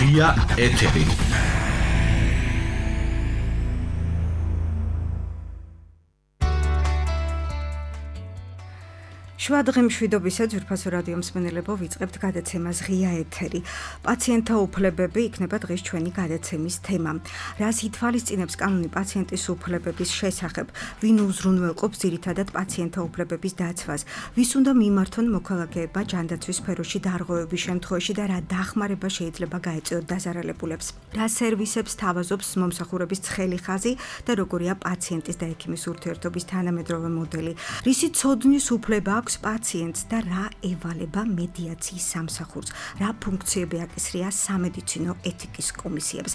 ღია ეთერი. შვადღი მშვიდობისა ძვირფასო რადიო მსმენელებო, ვიწყებთ გადაცემას ღია ეთერი. პაციენტთა უფლებები იქნება დღეს ჩვენი გადაცემის თემა. რას ითვალისწინებს კანონი პაციენტის უფლებების შესახებ? ვინ უზრუნველყოფს ძირითადად პაციენტთა უფლებების დაცვას? ვის უნდა მიმართონ მოქალაქეება ჯანდაცვის სფეროში დარღვევების შემთხვევაში და რა დახმარება შეიძლება გაეწიოთ დაზარალებულებს? რა სერვისებს თავაზობს მომსახურების ცხელი ხაზი და როგორია პაციენტის და ექიმის ურთიერთობის თანამედროვე მოდელი? რისი ცოდნის უფლება აქვს პაციენტს და რა ევალება მედიაციის სამსახურს, რა ფუნქციები აკისრია სამედიცინო ეთიკის კომისიებს.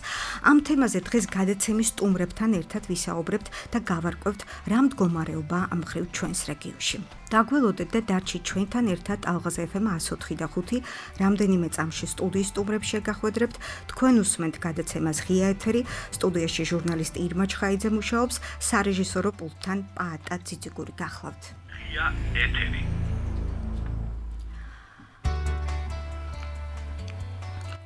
ამ თემაზე დღეს გადაცემის სტუმრებთან ერთად ვისაუბრებთ და გავარკვევთ რა მდგომარეობა ამ მხრივ ჩვენს რეგიონში. დაგველოდეთ და დარჩით ჩვენთან ერთად ალღაზ FM 104 და 5 რამდენიმე წამში სტუდიის სტუმრებს შეგახვედრებთ. თქვენ უსმენთ გადაცემას ღია ეთერი, სტუდიაში ჟურნალისტი ირმა ჩხაიძე მუშაობს, სარეჟისორო პულტთან პაატა ციციგური გახლავთ. ღია ეთერი.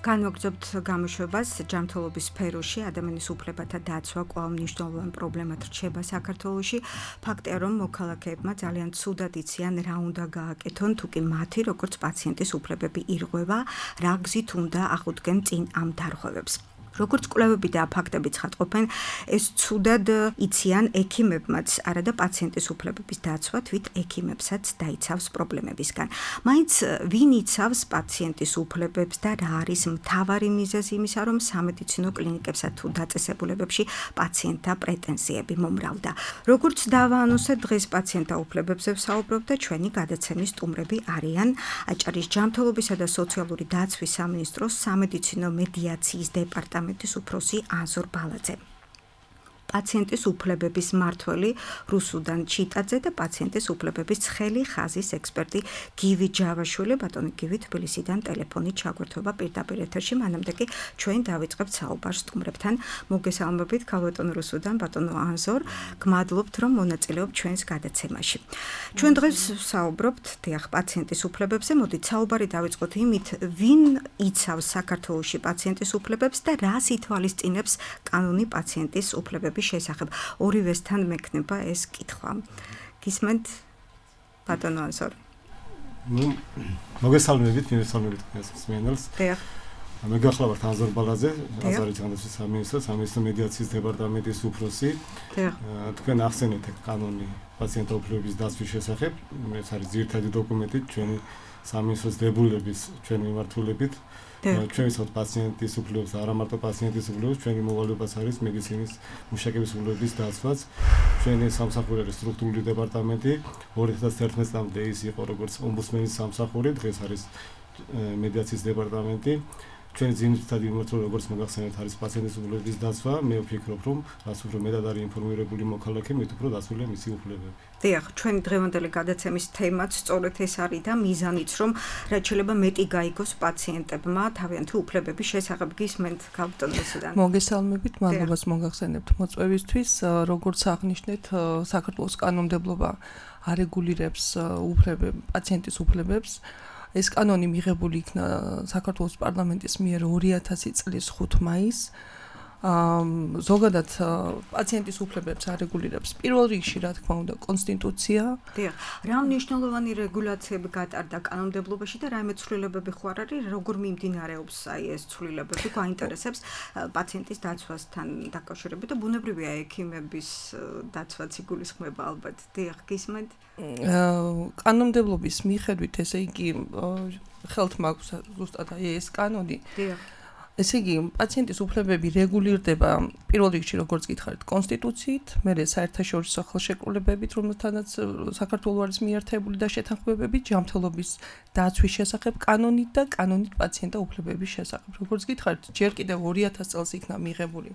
განვაგრძობთ გამოშვებას ჯანმრთელობის სფეროში ადამიანის უფლებათა დაცვა კვლავ მნიშვნელოვან პრობლემად რჩება საქართველოში. ფაქტია, რომ მოქალაქეებმა ძალიან ცუდად იციან რა უნდა გააკეთონ, თუკი მათი როგორც პაციენტის უფლებები ირღვევა, რა გზით უნდა აღუდგენ წინ ამ დარღვევებს. როგორც კვლევები და ფაქტები ცხადყოფენ, ეს ცუდად იციან ექიმებმაც, არა და პაციენტის უფლებების დაცვა თვით ექიმებსაც დაიცავს პრობლემებისგან. მაინც ვინ იცავს პაციენტის უფლებებს და რა არის მთავარი მიზეზი იმისა, რომ სამედიცინო კლინიკებსა თუ დაწესებულებებში პაციენტთა პრეტენზიები მომრავლდა. როგორც დავაანონსეთ, დღეს პაციენტთა უფლებებზე ვსაუბრობ და ჩვენი გადაცემის სტუმრები არიან აჭარის ჯანმრთელობისა და სოციალური დაცვის სამინისტროს სამედიცინო მედიაციის დეპარტამენტის უფროსი აზორ ბალაძე. პაციენტის უფლებების მმართველი რუსუდან ჩიტაძე და პაციენტის უფლებების ცხელი ხაზის ექსპერტი გივი ჯავაშვილი. ბატონი გივი, თბილისიდან ტელეფონით ჩაგვერთვება პირდაპირ ეთერში, მანამდე კი ჩვენ დავიწყებთ საუბარს სტუმრებთან. მოგესალმებით, ქალბატონ რუსუდან, ბატონო აზორ, გმადლობთ, რომ მონაწილეობთ ჩვენს გადაცემაში. ჩვენ დღეს ვსაუბრობთ პაციენტის უფლებებზე. მოდით საუბარი დავიწყოთ იმით, ვინ იცავს საქართველოში პაციენტის უფლებებს და რას ითვალისწინებს კანონი პაციენტის უფლებების შესახებ. ორივესთან მექნება ეს კითხვა. გისმენთ, ბატონო აზორ? მოგესალმებით, მივესალმებით მსმენელს. მე გახლავართ აზორ ბალაძე, აჭარის ჯანდაცვის სამინისტროს მედიაციის დეპარტამენტის უფროსი. თქვენ ახსენეთ კანონი პაციენტთა უფლებების დაცვის შესახებ. ეს არის ძირითადი დოკუმენტი ჩვენი სამინისტროს დებულების ჩვენ მიმართულებით. ჩვენი პაციენტის უფლებებს და არა მარტო პაციენტის უფლებებს, ჩვენი მოვალეობაც არის მედიცინის მუშაკების უფლებების დაცვაც. ჩვენი სამსახური სტრუქტურული დეპარტამენტი 2011 წლამდე ის იყო როგორც ომბუდსმენის სამსახური, დღეს არის მედიაციის დეპარტამენტი. ჩვენი ძირითადი მიმართულება, როგორც მოგახსენეთ, არის პაციენტის უფლებების დაცვა. მე ვფიქრობ, რომ რაც უფრო მეტად არის ინფორმირებული მოქალაქე, მით უფრო დაცულია მისი უფლებები. დიახ, ჩვენი დღევანდელი გადაცემის თემაც სწორედ ეს არის და მიზანიც, რომ რაც შეიძლება მეტი გაიგოს პაციენტებმა თავიანთი უფლებების შესახებ. გისმენთ, ქალბატონ რუსუდან? მოგესალმებით, მადლობას მოგახსენებთ მოწვევისთვის. როგორც აღნიშნეთ, საქართველოს კანონმდებლობა არეგულირებს პაციენტის უფლებებს. ეს კანონი მიღებული იქნა საქართველოს პარლამენტის მიერ 2000 წლის 5 მაისს. ზოგადად პაციენტის უფლებებს არეგულირებს პირველ რიგში, რა თქმა უნდა, კონსტიტუცია. დიახ, რა მნიშვნელოვანი რეგულაციები გატარდა კანონმდებლობაში და რა მეცვლილებები ხო არ არის, როგორ მიმდინარეობს ეს ცვლილებები, გვაინტერესებს პაციენტის დაცვასთან დაკავშირებით და ბუნებრივია ექიმების დაცვაც იგულისხმება ალბათ. დიახ, გისმენთ? კანონმდებლობის მიხედვით, ესე იგი, ხელთ მაქვს ზუსტად ეს კანონი. დიახ. ესე იგი, პაციენტის უფლებები რეგულირდება პირველ რიგში, როგორც გითხარით, კონსტიტუციით, მერე საერთაშორისო ხელშეკრულებებით, რომელთანაც საქართველოს არის მიერთებული და შეთანხმებებით ჯანმრთელობის დაცვის შესახებ კანონით და კანონით პაციენტთა უფლებების შესახებ. როგორც გითხარით, ჯერ კიდევ 2000 წელს იქნა მიღებული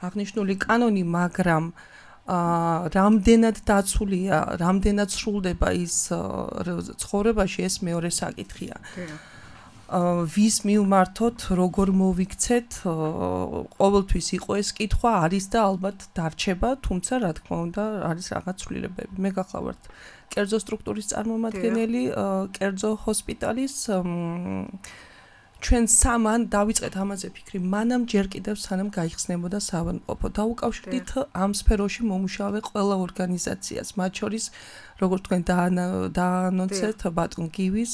აღნიშნული კანონი, მაგრამ რამდენად დაცულია, რამდენად სრულდება ის ცხოვრებაში, ეს მეორე საკითხია. ვის მივმართოთ, როგორ მოვიქცეთ, ყოველთვის იყო ეს კითხვა, არის და ალბათ დარჩება, თუმცა რა თქმა უნდა, არის რაღაც ცვლილებები. მე გახლავართ კერძო სტრუქტურის წარმომადგენელი, კერძო ჰოსპიტალის ჩვენ სამან დავიწყეთ ამაზე ფიქრი, მანამ ჯერ კიდევ სანამ გაიხსნებოდა საავადმყოფო. დაუკავშირდით ამ სფეროში მომუშავე ყველა ორგანიზაციას, მათ შორის როგორც თქვენ დაანონცეთ ბატონ გივის,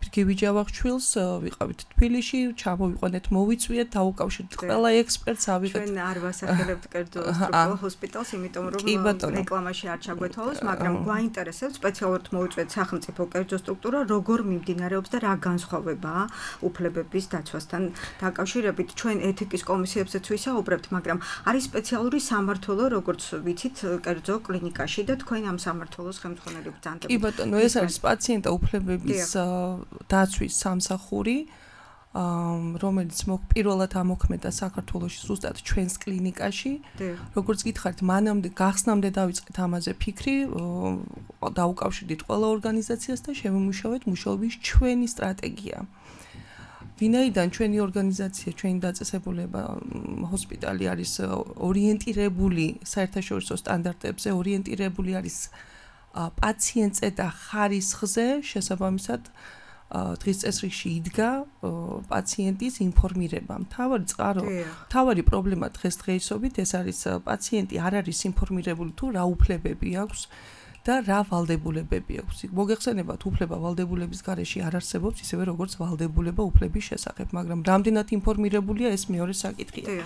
გივი ჯავახჩვილს, ვიყავით თბილისში, ჩამოვიყვანეთ, მოვიწვიეთ, დაუკავშირდით ყველა ექსპერტს, ავიღეთ. ჩვენ არ ვასახელებთ კერძო სტრუქტურულ ჰოსპიტალს, იმიტომ რომ რეკლამაში არ ჩაგვეთვალოს, მაგრამ გვაინტერესებს სპეციალურად მოვიწვიეთ სახელმწიფო კერძო სტრუქტურა, როგორ მიმდინარეობს და რა განსხვავებაა უფლებების დაცვასთან დაკავშირებით. ჩვენ ეთიკის კომისიებსაც ვისაუბრებთ, მაგრამ არის სპეციალური სამმართველო, როგორც ვიცით, კერძო კლინიკაში და თქვენ ამ სამმართველოს ხელმძღვანელი ბრძანდებით. კი ბატონო, ეს არის პაციენტთა უფლებების დაცვის სამსახური, რომელიც პირველად ამოქმედა საქართველოში ზუსტად ჩვენს კლინიკაში. როგორც გითხარით, მანამდე გახსნამდე დავიწყეთ ამაზე ფიქრი, დაუკავშირდით ყველა ორგანიზაციას და შევიმუშავეთ მუშაობის ჩვენი სტრატეგია. ვინაიდან ჩვენი ორგანიზაცია, ჩვენი დაწესებულება ჰოსპიტალი არის ორიენტირებული საერთაშორისო სტანდარტებზე, ორიენტირებული არის პაციენტზე და ხარისხზე, შესაბამისად დღის წესრიგში იდგა პაციენტის ინფორმირება. მთავარი პრობლემა დღესდღეობით ეს არის პაციენტი არ არის ინფორმირებული თუ რა უფლებები აქვს და რა ვალდებულებები აქვს. მოგეხსენებათ, უფლება ვალდებულების გარეშე არ არსებობს, ისევე როგორც ვალდებულება უფლების შესახებ, მაგრამ რამდენად ინფორმირებულია ეს მეორე საკითხია.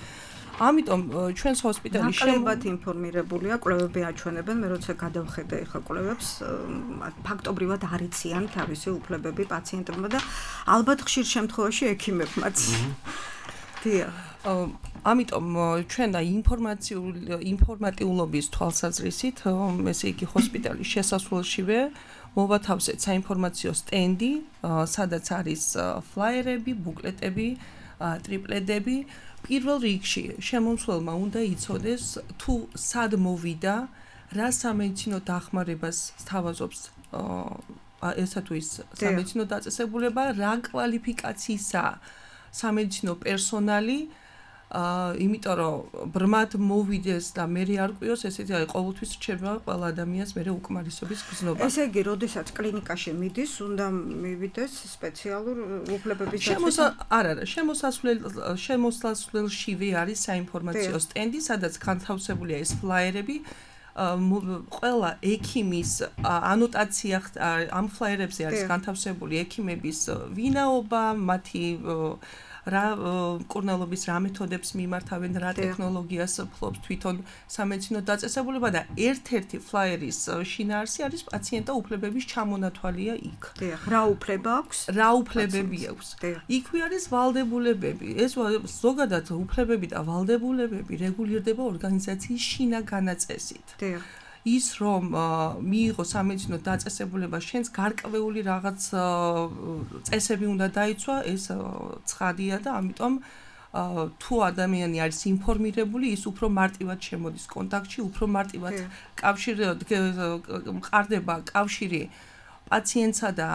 ამიტომ ჩვენს ჰოსპიტალში ნაკლებად ინფორმირებულია, კვლევები აჩვენებენ, მე როცა გადავხედე ახლა კვლევებს, ფაქტობრივად არ იციან თავისი უფლებები პაციენტებმა და ალბათ ხშირ შემთხვევაში ექიმებმაც. ამიტომ ჩვენ და ინფორმატიულობის თვალსაზრისით, ესე იგი ჰოსპიტალის შესასვლელშივე მოვათავსეთ საინფორმაციო სტენდი, სადაც არის ფლაიერები, ბუკლეტები, ტრიპლედები. პირველ რიგში შემომსვლელმა უნდა იცოდეს თუ სად მოვიდა, რა სამედიცინო დახმარებას სთავაზობს ესა თუ ის სამედიცინო დაწესებულება, რა კვალიფიკაციისაა სამედიცინო პერსონალი, იმიტომ რომ ბრმად მოვიდეს და მე არ ყვიოს, ესეთი არის ყოველთვის რჩება ყველა ადამიანს მე უკმარისობის გზნობა. ესე იგი, როდესაც კლინიკაში მიდის, უნდა მივიდეს სპეციალურ უფლებების დაცვა. შემოსასვლელშივე არის საინფორმაციო სტენდი, სადაც განთავსებულია ეს ფლაიერები. ყველა ექიმის ანოტაცია ამ ფლაიერებზე არის განთავსებული ექიმების ვინაობა, მათი რა მკურნალობის რა მეთოდებს მიმართავენ, რა ტექნოლოგიას ფლობს თვითონ სამედიცინო დაწესებულება და ერთ-ერთი ფლაიერის შინაარსი არის პაციენტთა უფლებების ჩამონათვალია იქ. რა უფლება აქვს? რა უფლებები აქვს? იქვე არის ვალდებულებები. ეს ზოგადად უფლებები და ვალდებულებები რეგულირდება ორგანიზაციის შინაგანაწესით. ის რომ მიიღო სამედიცინო დაწესებულება, შენს გარკვეული რაღაც წესები უნდა დაიცვა, ეს ცხადია და ამიტომ თუ ადამიანი არის ინფორმირებული, ის უფრო მარტივად შემოდის კონტაქტში, უფრო მარტივად მყარდება კავშირი პაციენტსა და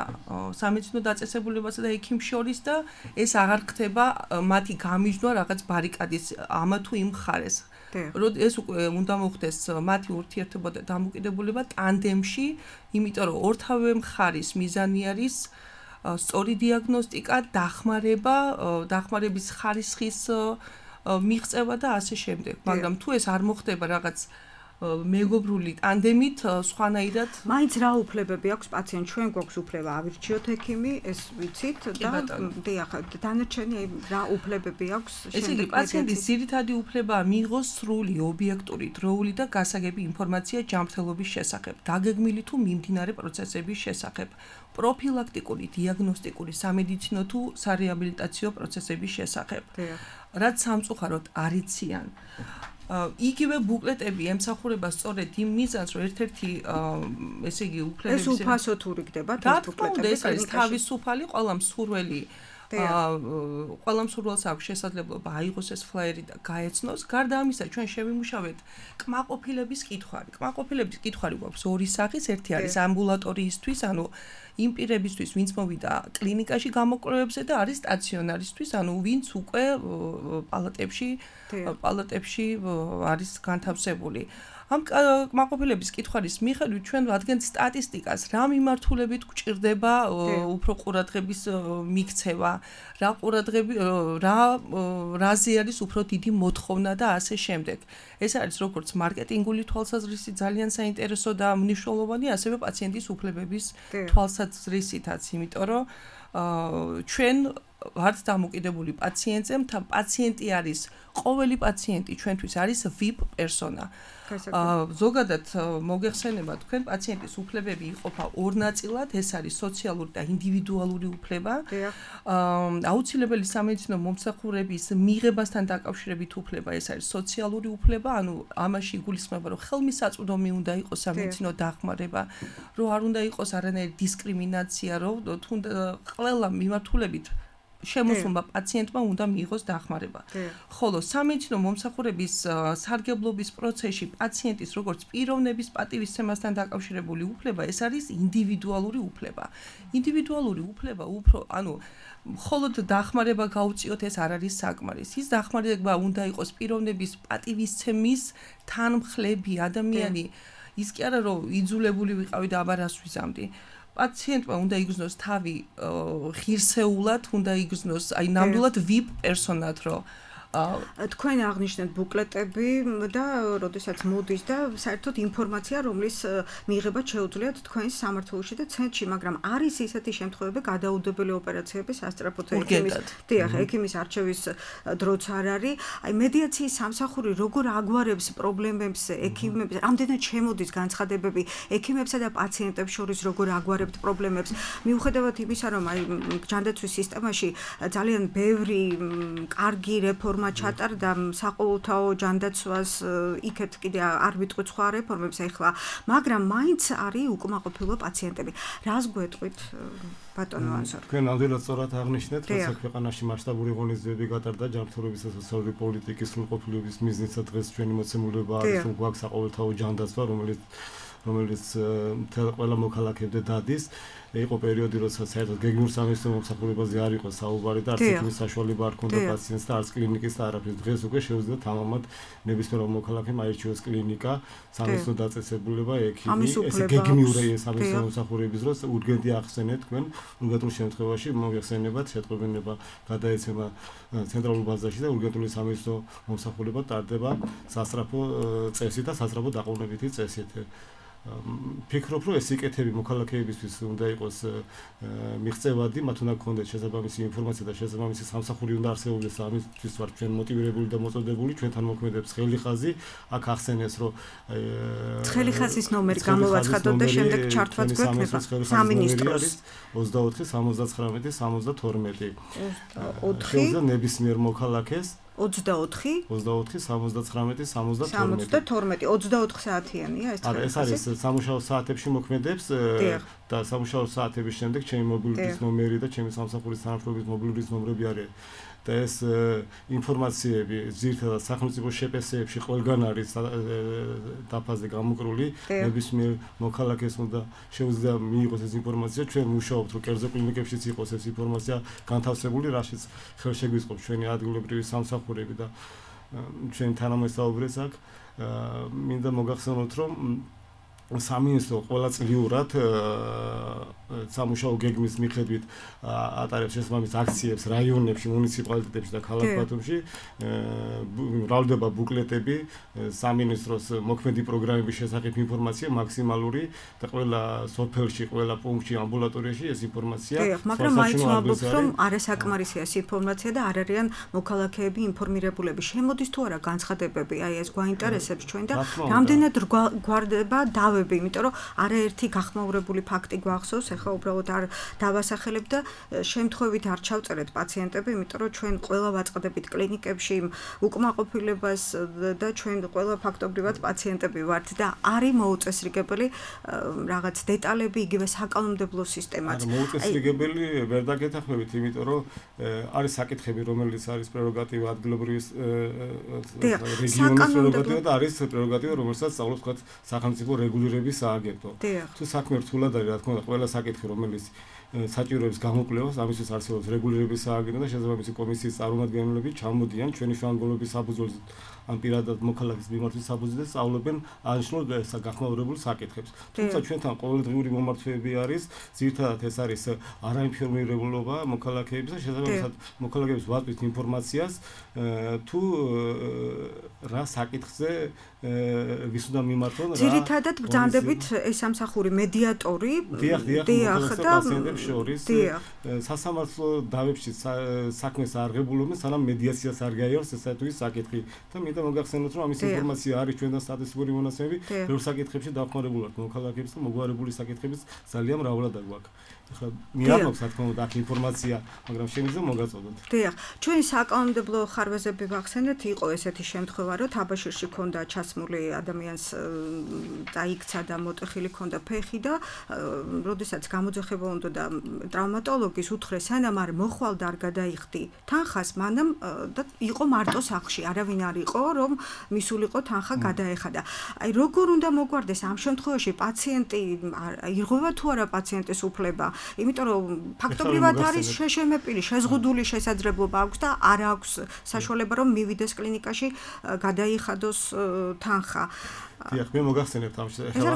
სამედიცინო დაწესებულებასა და ექიმს შორის და ეს აღარ ხდება მათი გამიჯვნა რაღაც ბარიკადის ამა თუ იმ მხარეს. ეს უკვე უნდა მოხდეს მათი ურთიერთობა და დამოკიდებულება ტანდემში, იმიტომ რომ ორთავე მხარის მიზანი არის სწორი დიაგნოსტიკა, დახმარების ხარისხის მიღწევა და ასე შემდეგ. მაგრამ თუ ეს არ მოხდება რაღაც მეგობრული ტანდემით, სხვანაირად. მაინც რა უფლებები აქვს პაციენტს? ჩვენ გვაქვს უფლება ავირჩიოთ ექიმი, ეს ვიცით და დანარჩენი რა უფლებები აქვს? ესე იგი, პაციენტის ძირითადი უფლებაა მიიღოს სრული, ობიექტური, დროული და გასაგები ინფორმაცია ჯანმრთელობის შესახებ, დაგეგმილი თუ მიმდინარე პროცესების შესახებ, პროფილაქტიკური, დიაგნოსტიკური, სამედიცინო თუ სარეაბილიტაციო პროცესების შესახებ. რაც სამწუხაროდ არ იციან. იგივე ბუკლეტები ემსახურება სწორედ იმ მიზანს, რომ ერთ-ერთი ესე იგი უფლებების ეს უფასო თუ რიგდება ეს ბუკლეტები, ეს არის თავისუფალი, ყველა მსურველი ყველა მსურველს აქვს შესაძლებლობა აიღოს ეს ფლაიერი და გაეცნოს. გარდა ამისა, ჩვენ შევიმუშავეთ კმაყოფილების კითხვარი. კმაყოფილების კითხვარი გვაქვს ორი სახის, ერთი არის ამბულატორიისთვის, ანუ იმ პირებისთვის, ვინც მოვიდა კლინიკაში გამოკვლევებზე და არის სტაციონარისთვის, ანუ ვინც უკვე პალატებში არის განთავსებული. ამ კმაყოფილების კითხვის მიხედვით ჩვენ ვადგენთ სტატისტიკას, რა მიმართულებით გვჭირდება უფრო ყურადღების მიქცევა, რაზე არის უფრო დიდი მოთხოვნა და ასე შემდეგ. ეს არის როგორც მარკეტინგული თვალსაზრისით ძალიან საინტერესო და მნიშვნელოვანი, ასევე პაციენტის უფლებების თვალსაზრისითაც, იმიტომ რომ ჩვენ ვართ დამოკიდებული პაციენტზე, პაციენტი არის ყოველი პაციენტი ჩვენთვის არის VIP პერსონა. ზოგადად მოგეხსენება თქვენ პაციენტის უფლებები იყოფა ორ ნაწილად, ეს არის სოციალური და ინდივიდუალური უფლება. აუცილებელი სამედიცინო მომსახურების მიღებასთან დაკავშირებით უფლება, ეს არის სოციალური უფლება, ანუ ამაში იგულისხმება, რომ ხელმისაწვდომი უნდა იყოს სამედიცინო დახმარება, რომ არ უნდა იყოს არანაირი დისკრიმინაცია, რომ თუნდაც ყველა მიმართულებით შემოსულმა პაციენტმა უნდა მიიღოს დახმარება. ხოლო სამედიცინო მომსახურების სარგებლობის პროცესში პაციენტის როგორც პიროვნების პატივისცემასთან დაკავშირებული უფლება, ეს არის ინდივიდუალური უფლება. ინდივიდუალური უფლება უფრო, ანუ მხოლოდ დახმარება გაუწიოთ, ეს არ არის საკმარისი. ის დახმარება უნდა იყოს პიროვნების პატივისცემის თანმხლები ადამიანი. ის კი არა რომ იძულებული ვიყავი და აბა რას ვიზამდი. პაციენტმა უნდა იგრძნოს თავი ღირსეულად, უნდა იგრძნოს აი ნამდვილად VIP პერსონად, რომ თქვენ აღნიშნეთ ბუკლეტები და როდესაც მოდის და საერთოდ ინფორმაცია, რომლის მიღება შეუძლიათ თქვენს სამართლოში და ცენტრში, მაგრამ არის ისეთი შემთხვევები, გადაუდებელი ოპერაციების სასწრაფოდ ექიმის არჩევის დროც არ არის. აი მედიაციის სამსახური როგორ აგვარებს პრობლემებს ექიმებს, რამდენად შემოდის განცხადებები ექიმებსა და პაციენტებს შორის როგორ აგვარებთ პრობლემებს, მიუხედავად იმისა, რომ აი ჯანდაცვის სისტემაში ძალიან ბევრი კარგი რეფორმა ჩატარდა საყოველთაო ჯანდაცვას, იქეთ კიდე არ ვიტყვით სხვა რეფორმებს ახლა, მაგრამ მაინც არის უკმაყოფილო პაციენტები. რას გვეტყვით ბატონო ანზორ? თქვენ ნამდვილად სწორად აღნიშნეთ, რომ ქვეყანაში მასშტაბური ღონისძიებები გატარდა ჯანმრთელობის და სოციალური პოლიტიკის სრულყოფილების მიზნით დღეს ჩვენი მოცემულობა არის, რომ გვაქვს საყოველთაო ჯანდაცვა, რომელიც ყველა მოქალაქემდე დადის. იყო პერიოდი, როდესაც საერთოდ გეგმიურ სამედიცინო მომსახურებაზე არ იყო საუბარი და არც ექიმის საშუალება არ ჰქონდა პაციენტს და არც კლინიკის და არაფერს. დღეს უკვე შეუძლია თამამად ნებისმიერ მოქალაქემ აირჩიოს კლინიკა, სამედიცინო დაწესებულება, ექიმი, ეს გეგმიური სამედიცინო მომსახურების დროს ურგენტი ახსენეთ თქვენ, ურგენტულ შემთხვევაში მოიხსენებათ შეტყობინება გადაეცემა ცენტრალურ ბაზაში და ურგენტული სამედიცინო მომსახურება ტარდება სასწრაფო წესით და სასწრაფო დაყოვნებითი წესით. ფიქრობ, რომ ეს იკეთები მოქალაქეებისთვის უნდა იყოს მიღწევადი, მათ უნდა გქონდეს შესაბამისი ინფორმაცია და შესაბამისი სამსახური უნდა არსებობდეს, ამისთვის ვართ ჩვენ მოტივირებული და მოწოდებული, ჩვენთან მოქმედებს ხელიხაზი, აქ ახსენეს, რომ ხელიხაზის ნომერი გამოვაცხადოთ და შემდეგ ჩართვაც გვექნება სამინისტროს 24 79 72 4 ნებისმიერ მოქალაქეს 24 79 72 24 საათიანია ეს ეს არის სამუშაო საათებში მოქმედებს და სამუშაო საათების შემდეგ ჩემი მობილურის ნომერი და ჩემი სამსახურის თანამშრომლის მობილურის ნომრები არის და ეს ინფორმაციები ძირითადად სახელმწიფო შეპესეებში ყველგან არის დაფაზე გამოკრული ნებისმიერ მოქალაქეს უნდა შეუძლია მიიღოს ეს ინფორმაცია ჩვენ მუშაობთ რომ კერძო კლინიკებშიც იყოს ეს ინფორმაცია განთავსებული რაშიც ხელშეგვიწყობს ჩვენი ადგილობრივი სამსახურები და ჩვენი თანამესაუბრეს აქ მინდა მოგახსენოთ რომ სამინისტრო ყველაწლიურად სამუშაო გეგმის მიხედვით ატარებს შესაბამის აქციებს რაიონებში, მუნიციპალიტეტებში და ქალაქ ბათუმში. მრავლდება ბუკლეტები, სამინისტროს მოქმედი პროგრამების შესახებ ინფორმაცია მაქსიმალური და ყველა სოფელში, ყველა პუნქტში, ამბულატორიაში ეს ინფორმაცია. მაგრამ მაინც ვამბობთ, რომ არასაკმარისია ეს ინფორმაცია და არ არიან მოქალაქეები ინფორმირებულები. შემოდის თუ არა განცხადებები, აი ეს გვაინტერესებს ჩვენ და რამდენად გვარდება დავები, იმიტომ რომ არაერთი გახმაურებული ფაქტი გვახსოვს, ეხლა უბრალოდ არ დავასახელებ და შემთხვევით არ ჩავწერეთ პაციენტები, იმიტომ რომ ჩვენ ყველა ვაწყდებით კლინიკებში უკმაყოფილებას და ჩვენ ყველა ფაქტობრივად პაციენტები ვართ და არის მოუწესრიგებელი რაღაც დეტალები, იგივე საკანონმდებლო სისტემაც. მოუწესრიგებელი ვერ დაგეთანხმებით, იმიტომ რომ არის საკითხები, რომელიც არის პრეროგატივა ადგილობრივის რეგიონის პრეროგატივა და არის პრეროგატივა, რომელსაც სწავლობს თქვათ სახელმწიფო რეგულირების სააგენტო. თუ საქმე რთულად არის, რა თქმა უნდა, ყველა საკითხი, რომელიც საჭიროების გამოკვლევას, ამისთვის არსებობს რეგულირების სააგენტო და შესაძლოა მისი კომისიის წარმომადგენლები ჩამოდიან ჩვენი შუამდგომლობის საფუძველზე ან პირადად მოქალაქის მიმართვის საფუძველზე სწავლობენ აღნიშნულ გახმაურებულ საკითხებს. თუმცა ჩვენთან ყოველდღიური მომართვეები არის, ძირითადად ეს არის არაინფორმირებულობა მოქალაქეების და შესაძლოა მოქალაქეებს ვაწვით ინფორმაციას თუ რა საკითხზე ვის უნდა მიმართონ რა. ძირითადად ბრძანდებით ეს სამსახური მედიატორი დიახ და პაციენტებს შორის სასამართლო დავებში საქმეს არ ღებულობენ, სანამ მედიაციას არ გაიარს ესა თუ ის საკითხი და მინდა მოგახსენოთ, რომ ამის ინფორმაცია არის ჩვენთან სტატისტიკური მონაცემები, ბევრ საკითხებში დახმარებული ვართ მოქალაქეებს და მოგვარებული საკითხებიც ძალიან მრავლად გვაქვს. ახლა მიაქვს რა თქმა უნდა აქ ინფორმაცია, მაგრამ შეიძლება მოგაწოდოთ. დიახ, ჩვენი საკანონმდებლო ხარვეზები ვახსენეთ, იყო ესეთი შემთხვევა, რომ თაბაშირში ქონდა ჩასმული ადამიანს დაიქცა და მოტეხილი ქონდა ფეხი და როდესაც გამოძახება უნდა და ტრავმატოლოგის უთხრეს, სანამ არ მოხვალდა არ გადაიხდი თანხას, მანამ და იყო მარტო სახლში, არავინ არ იყო, რომ მისულიყო თანხა გადაეხადა. აი როგორ უნდა მოგვარდეს ამ შემთხვევაში პაციენტი ირღვევა თუ არა პაციენტის უფლება? იმიტომ რომ ფაქტობრივად არის შეშემეპილი, შეზღუდული შესაძლებლობა აქვს და არ აქვს საშუალება რომ მივიდეს კლინიკაში გადაიხადოს თანხა. დიახ, მე მოგახსენებთ ამ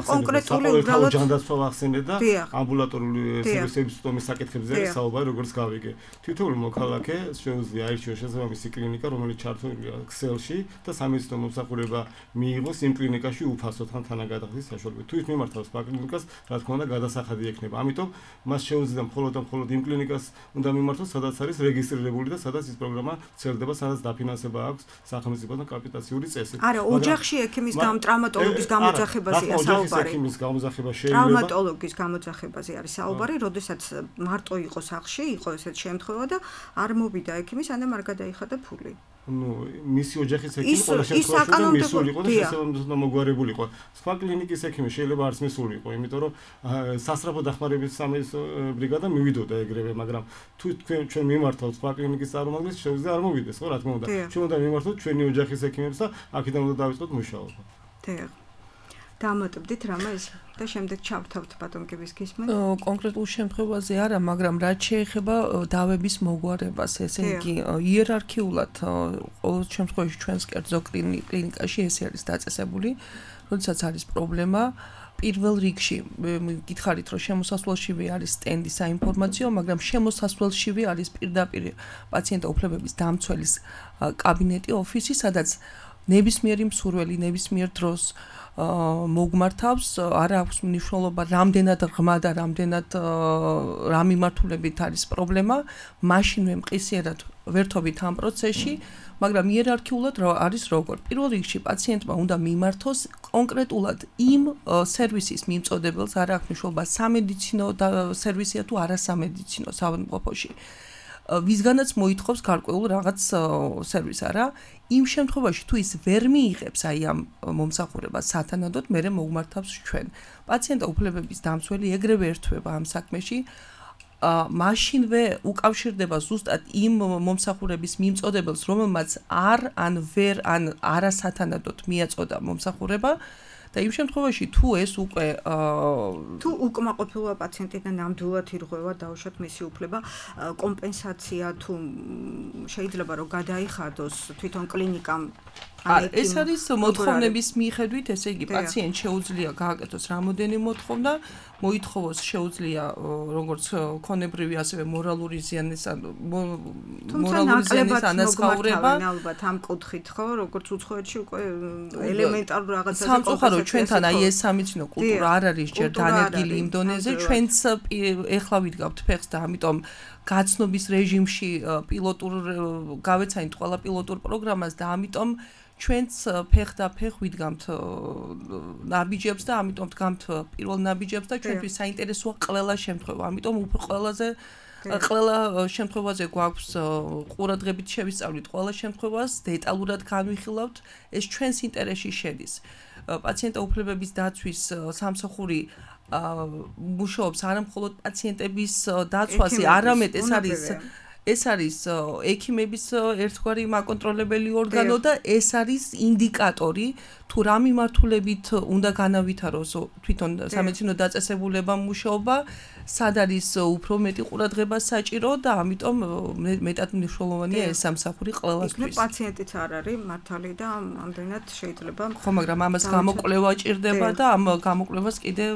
კონკრეტული უბრალოდ ჯანდაცვა ვახსენე და ამბულატორული სერვისების სტომის საკითხებზე არის საუბარი, როგორც გავიგე. თითოეული მოქალაქე შეუძლია აირჩიოს შესაბამისი კლინიკა, რომელიც ჩართულია Excel-ში და სამედიცინო მომსახურება მიიღოს იმ კლინიკაში უფასოდ ან თანაგადახდის საშუალებით. თუ ის მიმართავს კლინიკას, რა თქმა უნდა, გადასახადი ექნება. ამიტომ მას შეუძლია მხოლოდ იმ კლინიკას უნდა მიმართოს, სადაც არის რეგისტრირებული და სადაც ის პროგრამა ვრცელდება, სადაც დაფინანსება აქვს სახელმწიფოსგან კაპიტაციური წესი. არა, ოჯახში ექიმის ტრამატოლოგის გამოძახებაზე საუბარი. ექიმის გამოძახება შეიძლება. ტრამატოლოგის გამოძახებაზე არის საუბარი, როდესაც მარტო იყო სახლში, იყო ესეთი შემთხვევა და არ მოვიდა ექიმი, სანამ არ გადაიხადა ფული. მისი ოჯახის ექიმი ყველა შემთხვევაში მისულიყო და შესაბამისად მოგვარებულიყო. სხვა კლინიკის ექიმი შეიძლება არც მისულიყო, იმიტომ რომ სასწრაფო დახმარების სამედიცინო ბრიგადა მივიდოდა ეგრევე, მაგრამ თუ ჩვენ მიმართავთ სხვა კლინიკის წარმომადგენლებს, შეუძლია არ მოვიდეს, ხო, რა თქმა უნდა. ჩვენ უნდა მიმართოთ ჩვენი ოჯახის ექიმებს და აქედან უნდა დავიწყოთ მუშაობა. დიახ. დამატებდით რამე ეს და შემდეგ ჩავთავთ ბატონკების გისმენ. კონკრეტულ შემთხვევაზე არა, მაგრამ რაც შეეხება დავების მოგვარებას, ესე იგი იერარქიულად ყოველ შემთხვევაში ჩვენს კერძო კლინიკაში ეს არის დაწესებული, როდესაც არის პრობლემა პირველ რიგში გითხარით რომ შემოსასვლელშივე არის სტენდი საინფორმაციო, მაგრამ შემოსასვლელშივე არის პირდაპირ პაციენტთა უფლებების დამცველის კაბინეტი, ოფისი, სადაც ნებისმიერი მსურველი ნებისმიერ დროს მოგმართავს, არ აქვს მნიშვნელობა რამდენად ღრმა და რამდენად რა მიმართულებით არის პრობლემა, მაშინვე მყისიერად ვერთობით ამ პროცესში, მაგრამ იერარქიულად არის როგორ. პირველ რიგში პაციენტმა უნდა მიმართოს კონკრეტულად იმ სერვისის მიმწოდებელს, არ აქვს მნიშვნელობა სამედიცინო სერვისია თუ არასამედიცინო საავადმყოფოში. ვისგანაც მოითხოვს გარკვეულ რაღაც სერვისს, არა? იმ შემთხვევაში თუ ის ვერ მიიღებს აი ამ მომსახურებას სათანადოდ, მერე მოგმართავს ჩვენ. პაციენტთა უფლებების დამცველი ეგრევე ერთვება ამ საქმეში. მაშინვე უკავშირდება ზუსტად იმ მომსახურების მიმწოდებელს, რომელმაც ან ვერ ან არასათანადოდ მიაწოდა მომსახურება. და იმ შემთხვევაში თუ ეს უკვე თუ უკმაყოფილოა პაციენტი და ნამდვილად ირღვევა დაუშვათ მისი უფლება, კომპენსაცია თუ შეიძლება რომ გადაიხადოს თვითონ კლინიკამ ეს არის მოთხოვნების მიხედვით, ესე იგი პაციენტს შეუძლია გააკეთოს რამოდენიმე მოთხოვნა, მოითხოვოს შეუძლია როგორც ქონებრივი, ასევე მორალური ზიანის ანაზღაურება. ალბათ ამ კუთხით, ხო, როგორც უცხოეთში უკვე ელემენტარულ რაღაცაზე სამწუხაროდ ჩვენთან აი ეს სამედიცინო კულტურა არ არის ჯერ დანერგილი იმ დონეზე, ჩვენც ეხლა ვიდგავთ ფეხს და ამიტომ გაცნობის რეჟიმში პილოტურ გავეცანით ყველა პილოტურ პროგრამას და ამიტომ ჩვენც ფეხ და ფეხ ვიდგამთ ნაბიჯებს და ამიტომ დგამთ პირველ ნაბიჯებს და ჩვენთვის საინტერესოა ყველა შემთხვევა. ამიტომ ყველა შემთხვევაზე გვაქვს ყურადღებით შევისწავლით ყველა შემთხვევას, დეტალურად განვიხილავთ, ეს ჩვენს ინტერესში შედის. პაციენტთა უფლებების დაცვის სამსახური მუშაობს არა მხოლოდ პაციენტების დაცვაზე, არამედ ეს არის ექიმების ერთგვარი მაკონტროლებელი ორგანო და ეს არის ინდიკატორი თუ რა მიმართულებით უნდა განავითაროს თვითონ სამედიცინო დაწესებულება მუშაობა სად არის უფრო მეტი ყურადღება საჭირო და ამიტომ მეტად მნიშვნელოვანია ეს სამსახური ყველასთვის. პაციენტიც არ არის მართალი და ამდენად შეიძლება ხო, მაგრამ ამას გამოკვლევა ჭირდება და ამ გამოკვლევას კიდევ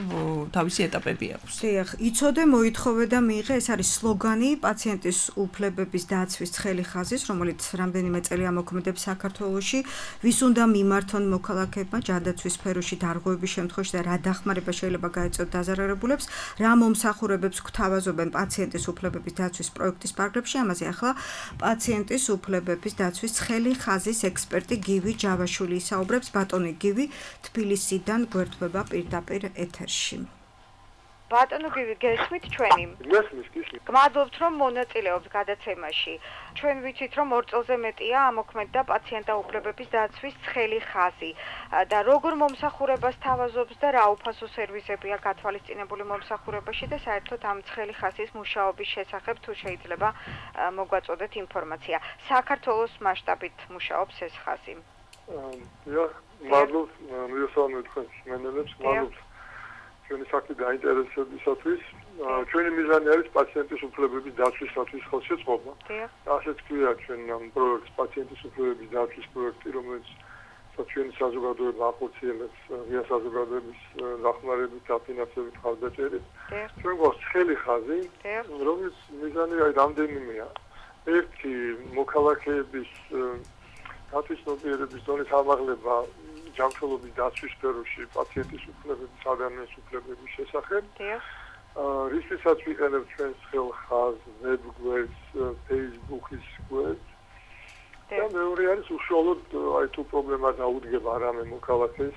თავისი ეტაპები აქვს. დიახ, იცოდე, მოითხოვე და მიიღე, ეს არის სლოგანი პაციენტის უფლებების დაცვის ცხელი ხაზის, რომელიც რამდენიმე წელია მოქმედებს საქართველოში. ვის უნდა მიმართონ მოქალაქეებმა ჯანდაცვის სფეროში დარღვევების შემთხვევაში და რა დახმარება შეიძლება გაეწიოთ დაზარალებულებს, რა მომსახურებებს გვთავაზობენ პაციენტის უფლებების დაცვის პროექტის პარაგრაფში, ამაზე ახლა პაციენტის უფლებების დაცვის ცხელი ხაზის ექსპერტი გივი ჯავაშვილი ისაუბრებს. ბატონი გივი, თბილისიდან გვერდება პირდაპირ ეთერში. ბატონო გივი, გესმით ჩვენი? გესმით. გმადლობთ რომ მონაწილეობთ გადაცემაში. ჩვენ ვიცით რომ 2 წელზე მეტია ამოქმედდა პაციენტთა უფლებების დაცვის ცხელი ხაზი და როგორ მომსახურებას თავაზობს და რა უფასო სერვისებია გათვალისწინებული მომსახურებაში და საერთოდ ამ ცხელი ხაზის მუშაობის შესახებ თუ შეიძლება მოგვაწოდეთ ინფორმაცია. საქართველოს მასშტაბით მუშაობს ეს ხაზი. მადლობთ, მივესალმებით თქვენს მენელებს, მადლობთ ჩვენი საქმის დაინტერესებისათვის. ჩვენი მიზანი არის პაციენტის უფლებების დაცვისათვის ხელშეწყობა. ასეც ქვია ჩვენ ამ პროექტს პაციენტის უფლებების დაცვის პროექტი, რომელიც ჩვენი საზოგადოება ახორციელებს ღია საზოგადოების დახმარებით, დაფინანსებით, ხალხდაჭერით. ჩვენ გვაქვს ცხელი ხაზი, რომელიც მიზანი არის რამდენიმეა. ერთი მოქალაქეების დაცვის ნებიერების დონის ამაღლება ჯანმრთელობის დაცვის სფეროში პაციენტის უფლებების, ადამიანის უფლებების შესახებ. რისთვისაც ვიყენებთ ჩვენს ცხელ ხაზს, ვებგვერდს, Facebook-ის გვერდს. და მეორე არის უშუალოდ აი თუ პრობლემა დაუდგება რამე მოქალაქეს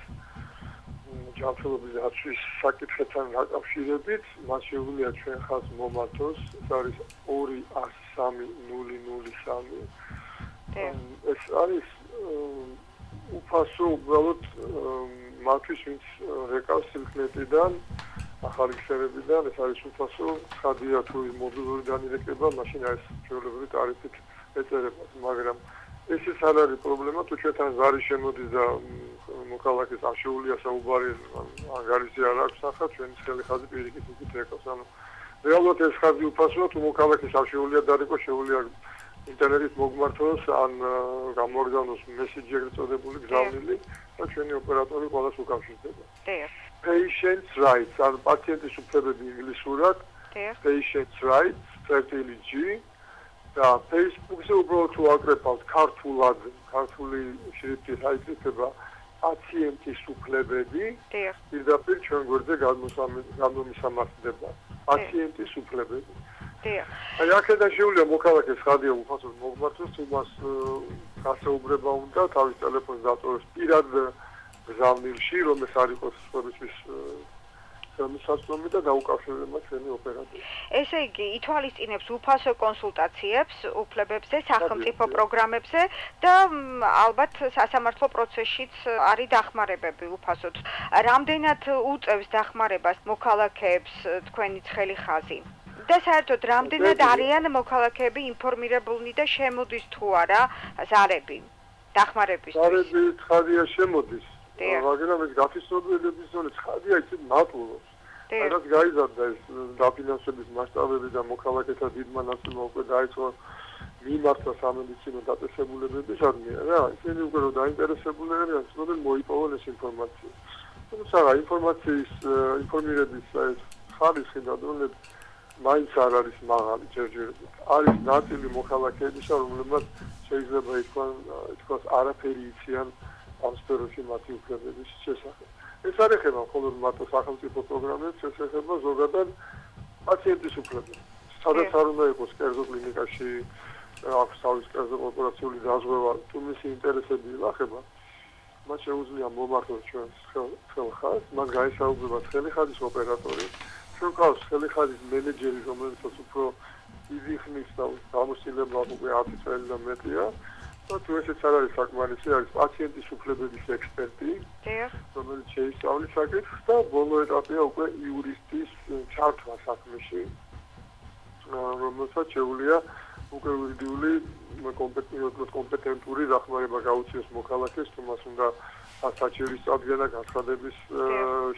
ჯანმრთელობის დაცვის საკითხებთან დაკავშირებით, მას შეუძლია ჩვენ ხაზს მომართოს, ეს არის 203-003. ეს არის უფასო უბრალოდ მათთვის ვინც რეკავს სილქნეტიდან ახალი ქსელებიდან ეს არის უფასო ხადია თუ მობილური დანირეკება მაშინ არის ჩვეულებრივი ტარიფით ეწერებათ მაგრამ ესეც არ არის პრობლემა თუ ჩვენთან ზარი შემოდის და მოქალაქეს არ შეუძლია საუბარი ანგარიში არ აქვს ახლა ჩვენი ცხელი ხაზი პირიქით უკეთ რეკავს ანუ რეალურად ეს ხაზი უფასოა თუ მოქალაქეს არ შეუძლია დარეკო შეუძლია ინტერნეტით მოგმართოს ან გამორგანოს მესიჯი ეგრეთ წოდებული გზავნილი და ჩვენი ოპერატორი ყველას უკავშირდება. Patients rights ან პაციენტის უფლებები ინგლისურად Patients rights FTLG და Facebook-ზე უბრალოდ თუ აკრეფავთ ქართულად ქართული შრიფტით აიკრიფება პაციენტის უფლებები პირდაპირ ჩვენ გვერდზე გამომისამართდება პაციენტის უფლებები. აი აქედან შეუძლია მოქალაქეს ხადია უფასოდ მოგმართოს თუ მას გასაუბრება უნდა თავის ტელეფონს დატოვოს პირად გზავნილში რომელიც არ იყოს სხვებისთვის სამსაცნობი და დაუკავშირდება ჩვენი ოპერატორი. ესე იგი ითვალისწინებს უფასო კონსულტაციებს უფლებებზე, სახელმწიფო პროგრამებზე და ალბათ სასამართლო პროცესშიც არის დახმარებები უფასოდ. რამდენად უწევს დახმარებას მოქალაქეებს თქვენი ცხელი ხაზი? და საერთოდ რამდენად არიან მოქალაქეები ინფორმირებულნი და შემოდის თუ არა ზარები დახმარებისთვის? ზარები ხადია შემოდის. მაგრამ ეს გაფიცნობელების ზოლი ხადია ისე მატულობს. რაც გაიზარდა ეს დაფინანსების მასშტაბები და მოქალაქეთა დიდმა ნაწილმა უკვე დაიწყო მიმართვა სამედიცინო დაწესებულებებისადმი რა ისინი უკვე რომ დაინტერესებული არიან ცნობენ მოიპოვონ ეს ინფორმაცია. თუმცა ინფორმაციის ინფორმირების ეს ხარისხი და დონე მაინც არ არის მაღალი ჯერჯერობით. არის ნაწილი მოქალაქეებისა, რომლებმაც შეიძლება ითქვას არაფერი იციან ამ სფეროში მათი უფლებების შესახებ. ეს არ ეხება მხოლოდ მათო სახელმწიფო პროგრამებს, ეს ეხება ზოგადად პაციენტის უფლებებს. სადაც არ უნდა იყოს კერძო კლინიკაში აქვს თავის კერძო კორპორაციული დაზღვევა, თუ მისი ინტერესები ილახება, მათ შეუძლია მომართოს ჩვენს ცხელ ხაზს, მას გაესაუბრება ცხელი ხაზის ოპერატორი. ჩვენ გვყავს ცხელი ხაზის მენეჯერი, რომელსაც უფრო დიდი ხნის და გამოცდილება უკვე 10 წელი და მეტია. და თუ ესეც არ არის საკმარისი, არის პაციენტის უფლებების ექსპერტი, რომელიც შეისწავლის საკითხს და ბოლო ეტაპია უკვე იურისტის ჩართვა საქმეში, რომელსაც შეუძლია უკვე ვიდიული კომპეტენტური დახმარება გაუწიოს მოქალაქეს, თუ მას უნდა საჭირის წარდგენა განცხადების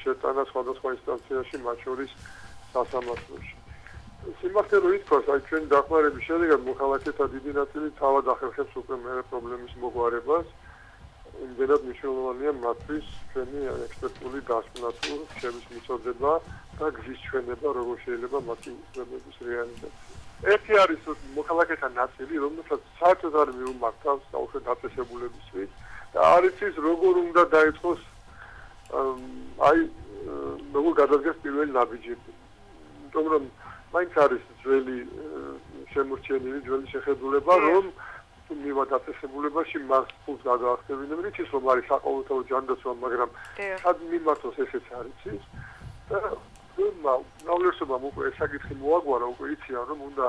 შეტანა სხვადასხვა ინსტანციაში, მათ შორის სასამართლოში. სიმართლე რომ ითქვას, აი ჩვენი დახმარების შედეგად მოქალაქეთა დიდი ნაწილი თავად ახერხებს უკვე მერე პრობლემის მოგვარებას. იმდენად მნიშვნელოვანია მათთვის ჩვენი ექსპერტული დასკვნა თუ რჩევის მიწოდება და გზის ჩვენება, როგორ შეიძლება მათი უფლებების რეალიზაცია. ერთი არის მოქალაქეთა ნაწილი, რომელსაც საერთოდ არ მიუმართავს საერთოდ დაწესებულებისთვის და არის ის, როგორ უნდა დაიწყოს როგორ გადადგეს პირველი ნაბიჯები. იმიტომ რომ მაინც არის ძველი შემორჩენილი ძველი შეხედულება, რომ მივა დაწესებულებაში მას ფულს გადაახდებინებენ, ის რომ არის საყოველთაო ჯანდაცვა, მაგრამ სად მიმართოს ესეც არ იცის და ნავლერსობამ უკვე ეს საკითხი მოაგვარა, უკვე იციან რომ უნდა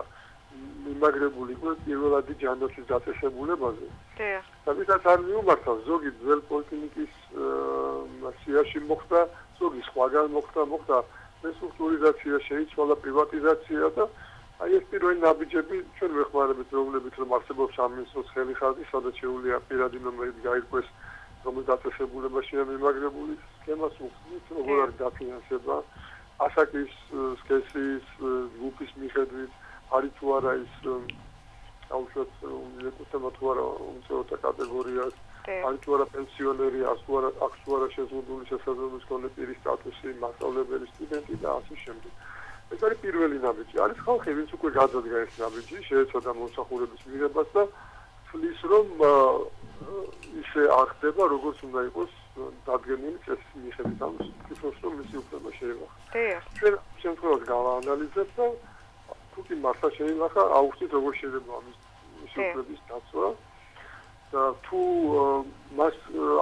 მიმაგრებული იყო პირველადი ჯანდაცვის დაწესებულებაზე. და ვისაც არ მიუმართავს, ზოგი ძველ პოლიკლინიკის სიაში მოხდა, ზოგი სხვაგან მოხდა რესტრუქტურიზაცია, შეიცვალა პრივატიზაცია და აი ეს პირველი ნაბიჯები ჩვენ ვეხმარებით, რომლებიც რომ არსებობს სამინისტროს ხელიხაზი, სადაც შეუძლია პირადი ნომერით გაირკვეს, რომელ დაწესებულებაშია მიმაგრებული სქემას უხსნით, როგორ არის დაფინანსება, ასაკის, სქესის, ჯგუფის მიხედვით, არის თუ არა ის აუშვათ ეკუთვნება თუ არა უმცირეთა კატეგორიას, არის თუ არა პენსიონერი, აქვს თუ არა შეზღუდული შესაძლებლობის მქონე პირის სტატუსი, მასწავლებელი, სტუდენტი და ასე შემდეგ. ეს არის პირველი ნაბიჯი. არის ხალხი, ვინც უკვე გადადგა ეს ნაბიჯი, შეეცადა მომსახურების მიღებას და თვლის, რომ ისე არ ხდება, როგორც უნდა იყოს დადგენილი წესის მიხედვით, ანუ თვითონ რომ მისი უფლება შეინახა. ჩვენ შემთხვევას გავაანალიზებთ და თუ კი მართლა შეინახა, აუხსნით როგორ შეიძლება ამის უფლების დაცვა და თუ მას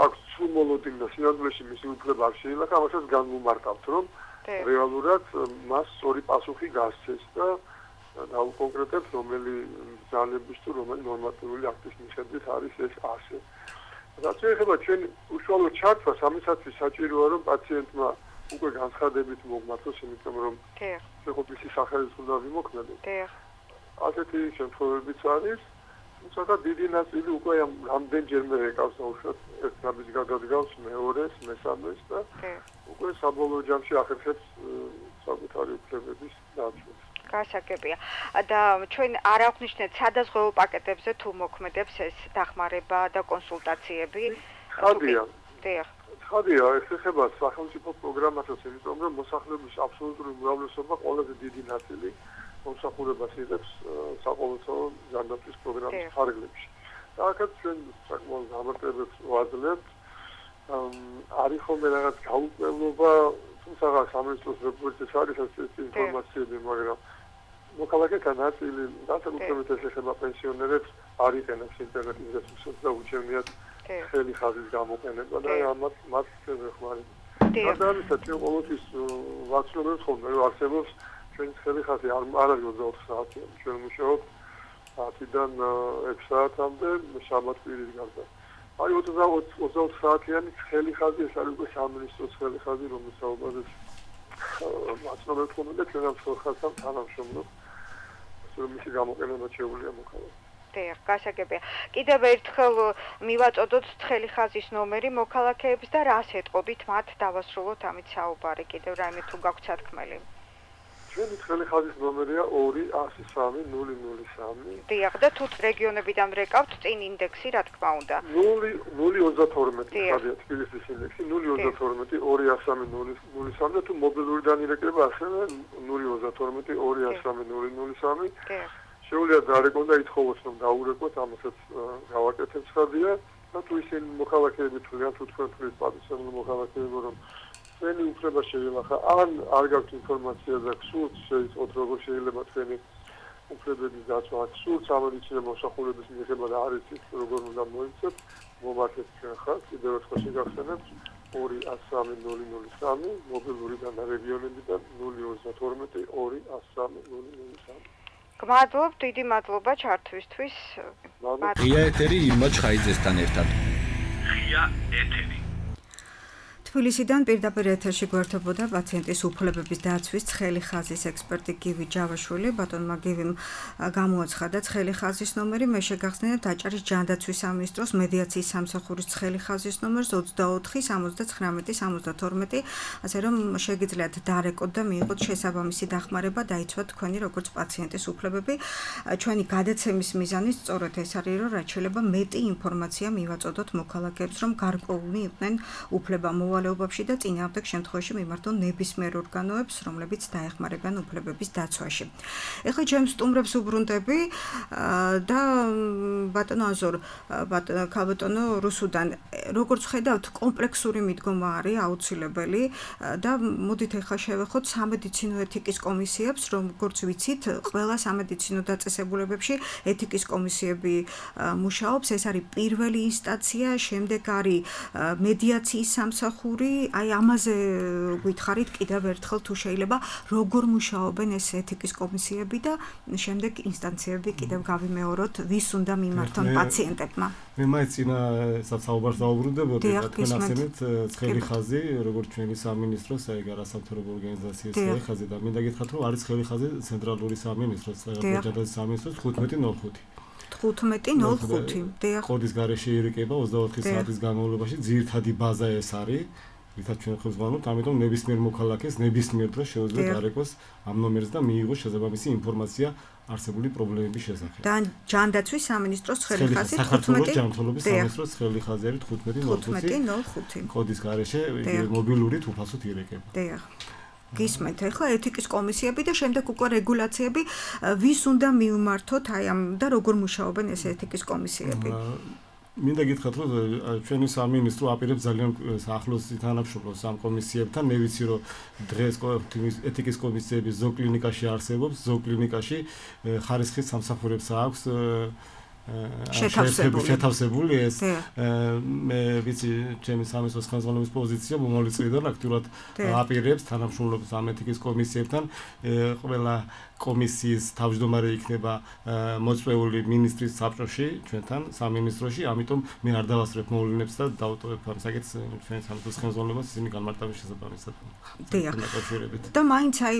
აქვს სრულ და სინამდვილეში მისი უფლება არ შეინახა, ამასაც განვუმარტავთ, რომ რეალურად მას ორი პასუხი გასცეს და დაუკონკრეტებთ, რომელი ძალების თუ რომელი ნორმატიული აქტის მიხედვით არის ეს ასე. რაც შეეხება ჩვენ უშუალო ჩართვას, ამისათვის საჭიროა, რომ პაციენტმა უკვე განცხადებით მოგმართოს, იმიტომ რომ შეყოფილი სახელის უნდა ვიმოქმედოთ. ასეთი შემთხვევებიც არის. თუმცა დიდი ნაწილი უკვე რამდენჯერმე ეკავს უშუალოდ ერთ ნაბიჯს გადადგავს მეორეს, მესამეს და უკვე საბოლოო ჯამში ახერხებს საკუთარი უფლებების დაცვას. გასაგებია. და ჩვენ არ აღვნიშნეთ სადაზღვევო პაკეტებზე თუ მოქმედებს ეს დახმარება და კონსულტაციები. ხადია. ეს ეხება სახელმწიფო პროგრამასაც, იმიტომ რომ მოსახლეობის აბსოლუტური უმრავლესობა ყველაზე დიდი ნაწილი მომსახურებას იღებს საყოველთაო ჯანდაცვის პროგრამის ფარგლებში. და აქაც ჩვენ საკმაოდ გამარტებებს ვაძლევთ. არის ხოლმე რაღაც გაუკვირვება, თუმცა სამინისტროს რეგულაციას არის ასეთი ინფორმაციები, მაგრამ მოქალაქეთა ნაწილი, განსაკუთრებით ეს ეხება პენსიონერებს, არ იყენებს ინტერნეტის რესურსებს და უჩვენიათ ხელი ხაზის გამოყენება და ამათ მათ ვეხმარებთ. და ამისაც ჩვენ ყოველთვის ვაცნობთ ხოლმე, რომ არსებობს ჩვენი ხელი ხაზი არ არის 24 საათიანი. ჩვენ მუშაობთ 10-დან 6 საათამდე შაბათ-კვირის გარდა. არის 24 საათიანი ხელი ხაზი, ეს არის უკვე სამინისტროს ხელი ხაზი, რომლის საუბარს ვაცნობთ ხოლმე და ჩვენ ამ ხაზთან თანამშრომლობთ. რომ მისი გამოყენება შეუძლია მოქალაქეს. გასაგებია. კიდევ ერთხელ მივაწოდოთ თხელი ხაზის ნომერი მოქალაქეებს და რას ეტყობთ მათ დავასრულოთ ამით საუბარი. კიდევ რაიმე თუ გაქვთ სათქმელი. ჩვენი თხელი ხაზის ნომერია 21003. დიახ, და თუ რეგიონებიდან რეკავთ წინ ინდექსი, რა თქმა უნდა. 032 ხაზია თბილისის ინდექსი 032 203 და თუ მობილურიდან ირეკება ასევე 032 203 შეუძლია დარეკონ და ითხოვოს რომ დაურეკოთ, ამასაც გავაკეთებ ხაზია და თუ ისინი მოქალაქეები თვლიან, თუ თქვენ თვლის პატივსაცემული მოქალაქეები რომ ჩვენი უფლება შეინახა, ან არ გაქვთ ინფორმაცია და გსურთ შეიწყოთ როგორ შეიძლება თქვენი უფლებების დაცვა, გსურთ სამედიცინო მოსახურების მიღება და არ იცით როგორ უნდა მოიცეთ, მომართეთ ჩვენ ხაზს, კიდევ ერთხელ შეგახსენებთ 21003 მობილურიდან და რეგიონებიდან 032 21030. გმადლობ, დიდი მადლობა ჩართვისთვის. ღია ეთერი ირმა ჩხაიძესთან ერთად. ღია ეთერი. თბილისიდან პირდაპირ ეთერში გვერდებოდა პაციენტის უფლებების დაცვის ცხელი ხაზის ექსპერტი გივი ჯავაშვილი. ბატონმა გივიმ გამოაცხადა ცხელი ხაზის ნომერი. მე შეგახსენებთ აჭარის ჯანდაცვის სამინისტროს მედიაციის სამსახურის ცხელი ხაზის ნომერს 24-79-72, ასე რომ შეგიძლიათ დარეკოთ და მიიღოთ შესაბამისი დახმარება, დაიცვათ თქვენი როგორც პაციენტის უფლებები. ჩვენი გადაცემის მიზანი სწორედ ეს არის, რომ რაც შეიძლება მეტი ინფორმაცია მივაწოდოთ მოქალაქეებს, რომ გარკვეული იყვნენ უფლება მოვალეობებში და წინააღმდეგ შემთხვევაში მიმართონ ნებისმიერ ორგანოებს, რომლებიც დაეხმარებიან უფლებების დაცვაში. ეხლა ჩემს სტუმრებს უბრუნდები და ბატონო აზორ, ქალბატონო რუსუდან, როგორც ხედავთ, კომპლექსური მიდგომა არის აუცილებელი და მოდით ეხლა შევეხოთ სამედიცინო ეთიკის კომისიებს, როგორც ვიცით, ყველა სამედიცინო დაწესებულებებში ეთიკის კომისიები მუშაობს, ეს არის პირველი ინსტანცია, შემდეგ არის მედიაციის სამსახური, აი ამაზე გითხარით კიდევ ერთხელ თუ შეიძლება, როგორ მუშაობენ ეს ეთიკის კომისიები და შემდეგ ინსტანციები კიდევ გავიმეოროთ, ვის უნდა მიმართონ პაციენტებმა. მე მაინც წინა საუბარს დავუბრუნდებოდი, თქვენ ახსენეთ ცხელი ხაზი, როგორც ჩვენი სამინისტროს, აი არასამთავრობო ორგანიზაციის ცხელი ხაზი და მინდა გითხრათ, რომ არის ცხელი ხაზი ცენტრალური სამინისტროს, ჯანდაცვის სამინისტროს 15.05. 15.05. კოდის გარეშე ირეკება 24 საათის განმავლობაში, ძირითადი ბაზა ეს არის. ვითაც ჩვენ ხებს ვანოთ, ამიტომ ნებისმიერ მოქალაქეს ნებისმიერ დროს შეუძლია დარეკოს ამ ნომერს და მიიღოს შესაბამისი ინფორმაცია არსებული პრობლემების შესახებ. და ჯანდაცვის სამინისტროს ცხელი ხაზი 15. საქართველოს ჯანმრთელობის სამინისტროს ცხელი ხაზი არის 15.05. კოდის გარეშე მობილურით უფასოდ ირეკება. დიახ. გისმენთ, ახლა ეთიკის კომისიები და შემდეგ უკვე რეგულაციები, ვის უნდა მივმართოთ აი ამ და როგორ მუშაობენ ეს ეთიკის კომისიები? მინდა გითხრათ, რომ ჩვენი სამინისტრო აპირებს ძალიან ახლოს თანამშრომლობს ამ კომისიებთან. მე ვიცი, რომ დღეს ეთიკის კომისიები ზოგ კლინიკაში არსებობს, ზოგ კლინიკაში ხარისხის სამსახურებს აქვს შეთავსებული ეს მე ვიცი ჩემი სამინისტროს ხელმძღვანელის პოზიცია მომავალი წლიდან აქტიურად აპირებს თანამშრომლობს ამ ეთიკის კომისიებთან. ყველა კომისიის თავმჯდომარე იქნება მოწვეული მინისტრის საბჭოში, ჩვენთან სამინისტროში, ამიტომ მე არ დავასწრებ მოვლენებს და დავტოვებ ამ საკითხს ჩვენი სამინისტროს ხელმძღვანელობას ისინი განმარტების შესაბამისად. დიახ. და მაინც აი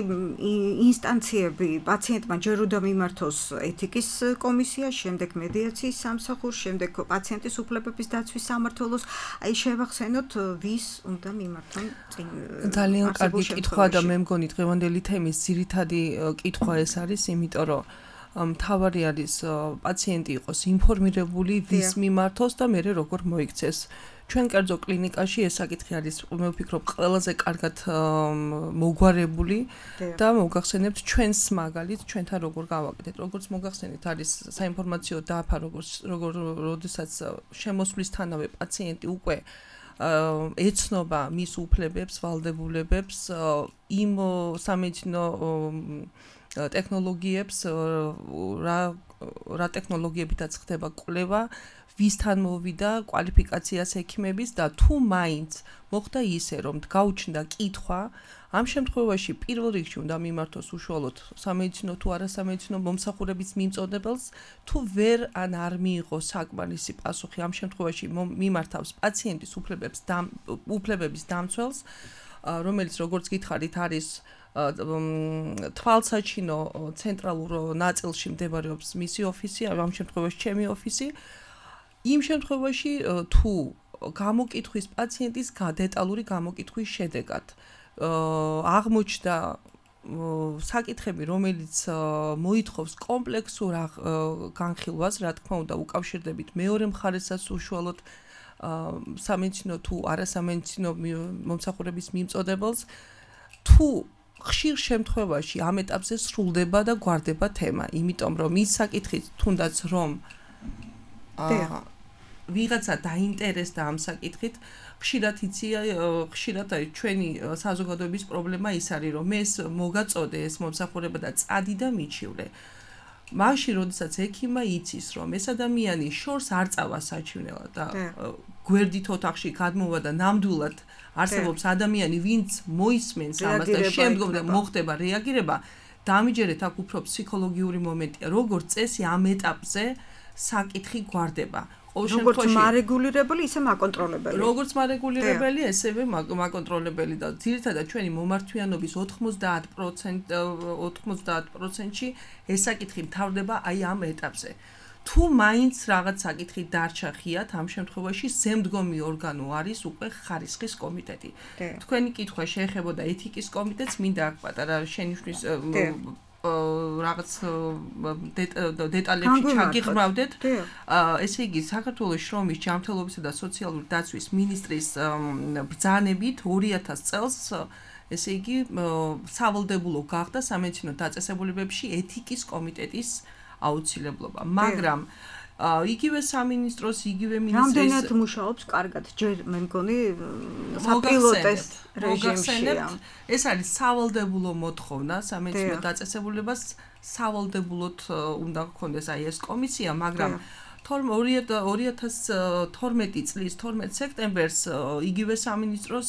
ინსტანციები პაციენტმა ჯერ უნდა მიმართოს ეთიკის კომისია, შემდეგ მედიაციის სამსახურს, შემდეგ პაციენტის უფლებების დაცვის სამმართველოს, აი შევახსენოთ ვის უნდა მიმართონ წინ. ძალიან კარგი კითხვა და მე მგონი დღევანდელი თემის ძირითადი კითხვა ეს არის, იმიტომ რომ მთავარი არის პაციენტი იყოს ინფორმირებული, ვის მიმართოს და მე როგორ მოიქცეს. ჩვენ კერძო კლინიკაში ეს საკითხი არის, მე ვფიქრობ, ყველაზე კარგად მოგვარებული და მოგახსენებთ ჩვენს მაგალითს, ჩვენთან როგორ გავაკეთეთ. როგორც მოგახსენეთ, არის საინფორმაციო დაფა, როდესაც შემოსვლისთანავე პაციენტი უკვე ეცნობა მის უფლებებს, ვალდებულებებს, იმ სამედიცინო ტექნოლოგიებს, რა ტექნოლოგიებითაც ხდება კვლევა, ვისთან მოვიდა კვალიფიკაციას ექიმების და თუ მაინც მოხდა ისე, რომ გაუჩნდა კითხვა, ამ შემთხვევაში პირველ რიგში უნდა მიმართოს უშუალოდ სამედიცინო თუ არასამედიცინო მომსახურების მიმწოდებელს, თუ ვერ არ მიიღო საკმარისი პასუხი, ამ შემთხვევაში მიმართავს პაციენტის უფლებების დამცველს, რომელიც როგორც გითხარით არის თვალსაჩინო ცენტრალურ ნაწილში მდებარეობს მისი ოფისი, ამ შემთხვევაში ჩემი ოფისი. იმ შემთხვევაში თუ გამოკითხვის პაციენტის დეტალური გამოკითხვის შედეგად აღმოჩნდა საკითხები, რომელიც მოითხოვს კომპლექსურ განხილვას, რა თქმა უნდა, უკავშირდებით მეორე მხარესაც უშუალოდ სამედიცინო თუ არასამედიცინო მომსახურების მიმწოდებელს, თუ ხშირ შემთხვევაში ამ ეტაპზე სრულდება და გვარდება თემა, იმიტომ რომ ის საკითხი თუნდაც რომ ვიღაცა დაინტერესდა ამ საკითხით, ხშირად არის ჩვენი საზოგადოების პრობლემა ის არის, რომ ეს მოგაწოდე ეს მომსახურება და წადი და მიჩივლე. მაშინ, როდესაც ექიმმა იცის, რომ ეს ადამიანი შორს არ წავა საჩივნელად და გვერდით ოთახში გადმოვა და ნამდვილად არსებობს ადამიანი, ვინც მოისმენს ამას და შემდგომ მოხდება რეაგირება, დამიჯერეთ აქ უფრო ფსიქოლოგიური მომენტია, როგორც წესი ამ ეტაპზე საკითხი გვარდება. როგორც მარეგულირებელი, ისე მაკონტროლებელი. როგორც მარეგულირებელი, ესევე მაკონტროლებელი და ძირითადად ჩვენი მომართვიანობის 90%-ში ეს საკითხი მთავრდება აი ამ ეტაპზე. თუ მაინც რაღაც საკითხი დარჩა ხიათ, ამ შემთხვევაში ზემდგომი ორგანო არის უკვე ხარისხის კომიტეტი. თქვენი კითხვა შეეხებოდა ეთიკის კომიტეტს, მინდა აქ პატარა შენიშვნის რაღაც დეტალებში ჩაგიღრმავდეთ. ესე იგი, საქართველოს შრომის, ჯანმრთელობისა და სოციალური დაცვის მინისტრის ბრძანებით 2000 წელს ესე იგი, სავალდებულო გახდა სამედიცინო დაწესებულებებში ეთიკის კომიტეტის აუცილებლობა, მაგრამ იგივე სამინისტროს, იგივე მინისტრის რამდენად მუშაობს კარგად, ჯერ მე მგონი საპილოტეს რეჟიმშია. ეს არის სავალდებულო მოთხოვნა სამედიცინო დაწესებულებას, სავალდებულოდ უნდა გქონდეს აი ეს კომისია, მაგრამ 2012 წლის 12 სექტემბერს იგივე სამინისტროს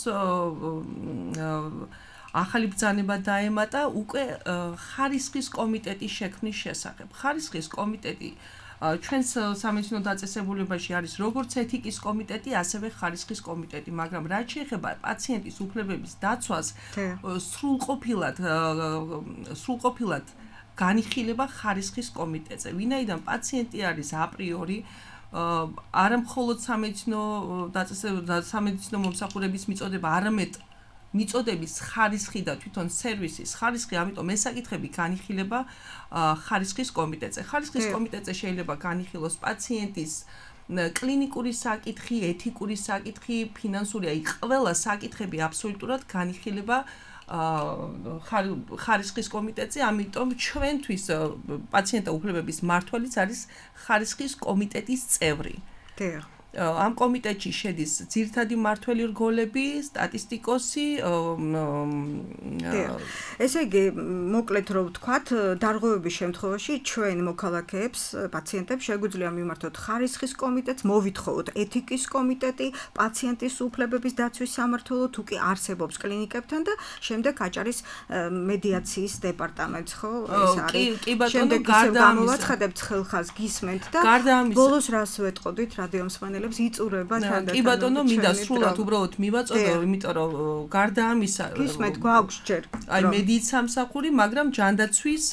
ახალი ბრძანება დაემატა უკვე ხარისხის კომიტეტის შექმნის შესახებ. ხარისხის კომიტეტი ჩვენს სამედიცინო დაწესებულებაში არის როგორც ეთიკის კომიტეტი, ასევე ხარისხის კომიტეტი, მაგრამ რაც შეეხება პაციენტის უფლებების დაცვას, სრულყოფილად განიხილება ხარისხის კომიტეტზე. ვინაიდან პაციენტი არის აპრიორი არა მხოლოდ სამედიცინო მომსახურების მიწოდება, არამედ მიწოდების ხარისხი და თვითონ სერვისის ხარისხი, ამიტომ ეს საკითხები განიხილება ხარისხის კომიტეტზე. ხარისხის კომიტეტზე შეიძლება განიხილოს პაციენტის კლინიკური საკითხი, ეთიკური საკითხი, ფინანსური, აი ყველა საკითხები აბსოლუტურად განიხილება ხარისხის კომიტეტზე, ამიტომ ჩვენთვის პაციენტთა უფლებების მმართველიც არის ხარისხის კომიტეტის წევრი. ამ კომიტეტში შედის ძირითადი მმართველი რგოლები, სტატისტიკოსი. ესე იგი, მოკლედ რომ ვთქვათ, დარღვევების შემთხვევაში ჩვენ მოქალაქეებს, პაციენტებს შეგვიძლია მიმართოთ ხარისხის კომიტეტს, მოვითხოვოთ ეთიკის კომიტეტი, პაციენტის უფლებების დაცვის სამმართველო, თუ კი არსებობს კლინიკებთან და შემდეგ აჭარის მედიაციის დეპარტამენტს, ხო? ეს არის. კი ბატონო, გარდა ამისა მოვაცხადებთ ხელხას, გისმენთ და ბოლოს რას ვეტყოდით რადიო მსმენელებს იწურება თანდათან. კი ბატონო, მინდა სრულად უბრალოდ მივაწოდო, იმიტომ რომ გარდა ამისა გისმენთ გვაქვს ჯერ. აი მედიის სამსახური, მაგრამ ჯანდაცვის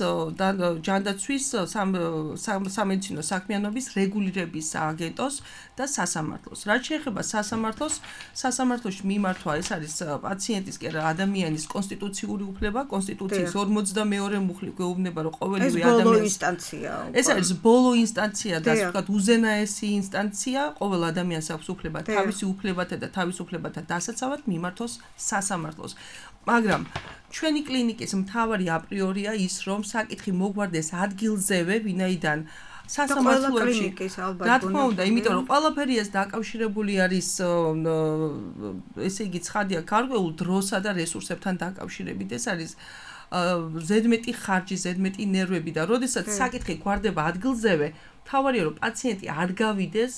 სამედიცინო საქმიანობის რეგულირების სააგენტოს და სასამართლოს. რაც შეეხება სასამართლოში მიმართვა, ეს არის პაციენტის კი არა ადამიანის კონსტიტუციური უფლება, კონსტიტუციის 42 მუხლი გვეუბნება, რომ ყოველივე ადამიანის ეს არის ბოლო ინსტანცია და ასე ვთქვათ, უზენაესი ინსტანცია, ყოველ ადამიანს აქვს უფლება თავისი უფლებათა და თავისუფლებათა დასაცავად მიმართოს სასამართლოს. მაგრამ ჩვენი კლინიკის მთავარი აპრიორია ის, რომ საკითხი მოგვარდეს ადგილზევე, ვინაიდან სასამართლოებში რა თქმა უნდა, იმიტომ რომ ყველაფერი ეს დაკავშირებული არის ესე იგი ცხადია გარკვეულ დროსა და რესურსებთან დაკავშირებით. ეს არის ზედმეტი ხარჯი, ზედმეტი ნერვები და როდესაც საკითხი გვარდება ადგილზევე, მთავარია რომ პაციენტი არ გავიდეს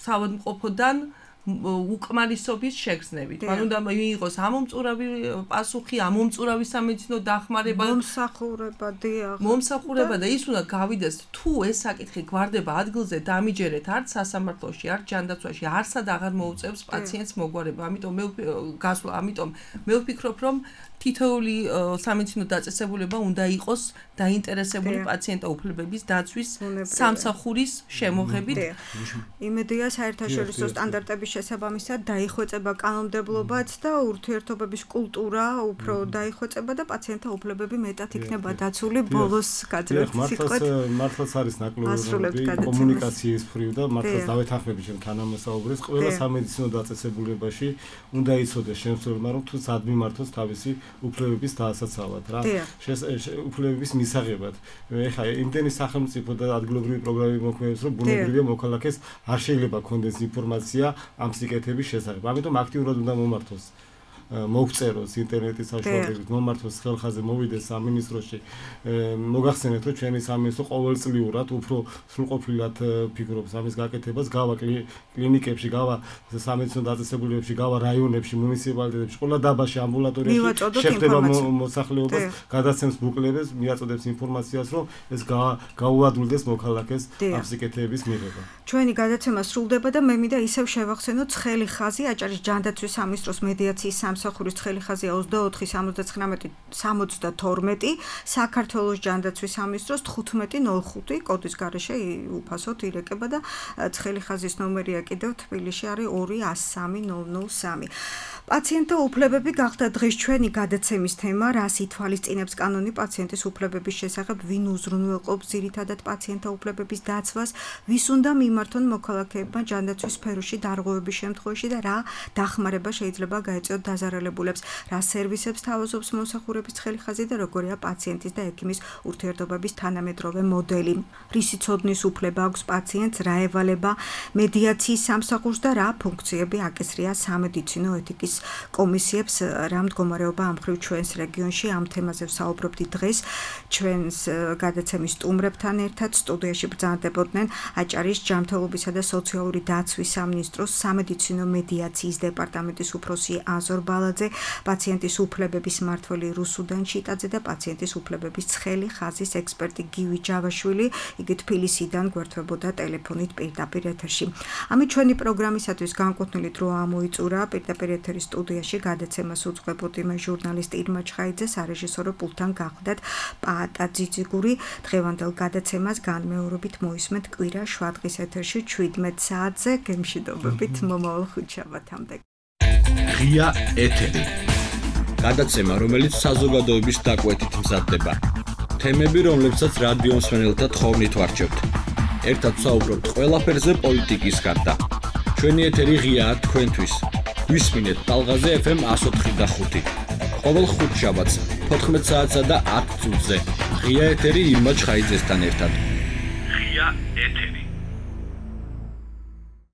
საავადმყოფოდან უკმარისობის შეგრძნებით. მან უნდა მიიღოს ამომწურავი პასუხი, ამომწურავი სამედიცინო დახმარება, მომსახურება და ის უნდა გავიდეს, თუ ეს საკითხი გვარდება ადგილზე, დამიჯერეთ არც სასამართლოში, არც ჯანდაცვაში, არსად აღარ მოუწევს პაციენტს მოგვარება. ამიტომ მე ვფიქრობ, რომ თითოეული სამედიცინო დაწესებულება უნდა იყოს დაინტერესებული პაციენტთა უფლებების დაცვის სამსახურის შემოღებით. იმედია საერთაშორისო სტანდარტების შესაბამისად დაიხვეწება კანონმდებლობაც და ურთიერთობების კულტურა უფრო დაიხვეწება და პაციენტთა უფლებები მეტად იქნება დაცული. ბოლოს გაძლევთ სიტყვით. მართლაც არის ნაკლოვი კომუნიკაციის მხრივ და მართლაც დავეთანხმები ჩემ თანამოსაუბრეს. ყველა სამედიცინო დაწესებულებაში უნდა იცოდეს შემსრულებელმა, რომ თუ სად მიმართოს თავისი უფლებების დასაცავად რა. უფლებების მისაღებად. ეხლა იმდენი სახელმწიფო და ადგილობრივი პროგრამები მოქმედებს, რომ ბუნებრივია მოქალაქეს არ შეიძლება ქონდეს ინფორმაცია ამ სიკეთების შესახებ. ამიტომ აქტიურად უნდა მომართოს მოგწეროს ინტერნეტის საშუალებით, მომართოს ხელხაზე, მოვიდეს სამინისტროში. მოგახსენეთ, რომ ჩვენი სამინისტრო ყოველწლიურად უფრო სრულყოფილად ფიქრობს ამის გაკეთებას, გავა კლინიკებში, გავა სამედიცინო დაწესებულებებში, გავა რაიონებში, მუნიციპალიტეტებში, ყველა დაბაში, ამბულატორიაში შეხვდება მოსახლეობას, გადაცემს ბუკლეტებს, მიაწოდებს ინფორმაციას, რომ ეს გაუადვილდეს მოქალაქეს ამ სიკეთეების მიღება. ჩვენი გადაცემა სრულდება და მე მინდა ისევ შევახსენოთ ცხელი ხაზი, აჭარის ჯანდაცვის სამინისტროს მედიაციის სამსახურის ცხელი ხაზია 24-79-72, საქართველოს ჯანდაცვის სამინისტროს 1505 კოდის გარეშე უფასოდ ირეკება და ცხელი ხაზის ნომერია კიდევ თბილისში არის 203-003. პაციენტთა უფლებები გახდა დღეს ჩვენი გადაცემის თემა, რას ითვალისწინებს კანონი პაციენტის უფლებების შესახებ, ვინ უზრუნველყოფს ძირითადად პაციენტთა უფლებების დაცვას, ვის უნდა მიმართონ მოქალაქეებმა ჯანდაცვის სფეროში დარღვევების შემთხვევაში და რა დახმარება შეიძლება გაეწიოთ დაზარალებულებს, რა სერვისებს თავაზობს მომსახურების ცხელი ხაზი და როგორია პაციენტის და ექიმის ურთიერთობების თანამედროვე მოდელი. რისი ცოდნის უფლება აქვს პაციენტს, რა ევალება მედიაციის სამსახურს და რა ფუნქციები აკისრია სამედიცინო ეთიკის კომისიებს, რა მდგომარეობა ამ მხრივ ჩვენს რეგიონში. ამ თემაზე ვსაუბრობთ დღეს ჩვენს გადაცემის სტუმრებთან ერთად. სტუდიაში ბრძანდებოდნენ აჭარის ჯანმრთელობისა და სოციალური დაცვის სამინისტროს სამედიცინო მედიაციის დეპარტამენტის უფროსი აზორ ბალაძე, პაციენტის უფლებების მმართველი რუსუდან ჩიტაძე და პაციენტის უფლებების ცხელი ხაზის ექსპერტი გივი ჯავაშვილი. იგი თბილისიდან გვერდთვებოდა ტელეფონით პირდაპირ ეთერში. ამით ჩვენი პროგრამისათვის განკუთვნილი დრო ამოიწურა. პირდაპირ ეთერის სტუდიაში გადაცემას უძღვებოდი მე ჟურნალისტი ირმა ჩხაიძე, სარეჟისორო პულტთან გახლდათ პაატა ძიძიგური. დღევანდელ გადაცემას განმეორებით მოისმენთ კვირა შვადღის ეთერში 17 საათზე. გემშვიდობებით მომავალ ხუთშაბათამდე. ღია ეთერი. გადაცემა, რომელიც საზოგადოების დაკვეთით მზადდება. თემები, რომლებსაც რადიო მსმენელთა თხოვნით ვარჩევთ. ერთად ვსაუბრობთ ყველაფერზე პოლიტიკის გარდა. ჩვენი ეთერი ღიაა თქვენთვის. გვისმინეთ ტალღაზე FM 104.5. ყოველ ხუთშაბათს 14 საათსა და 10 წუთზე. ღია ეთერი ირმა ჩხაიძესთან ერთად. ღია ეთერი.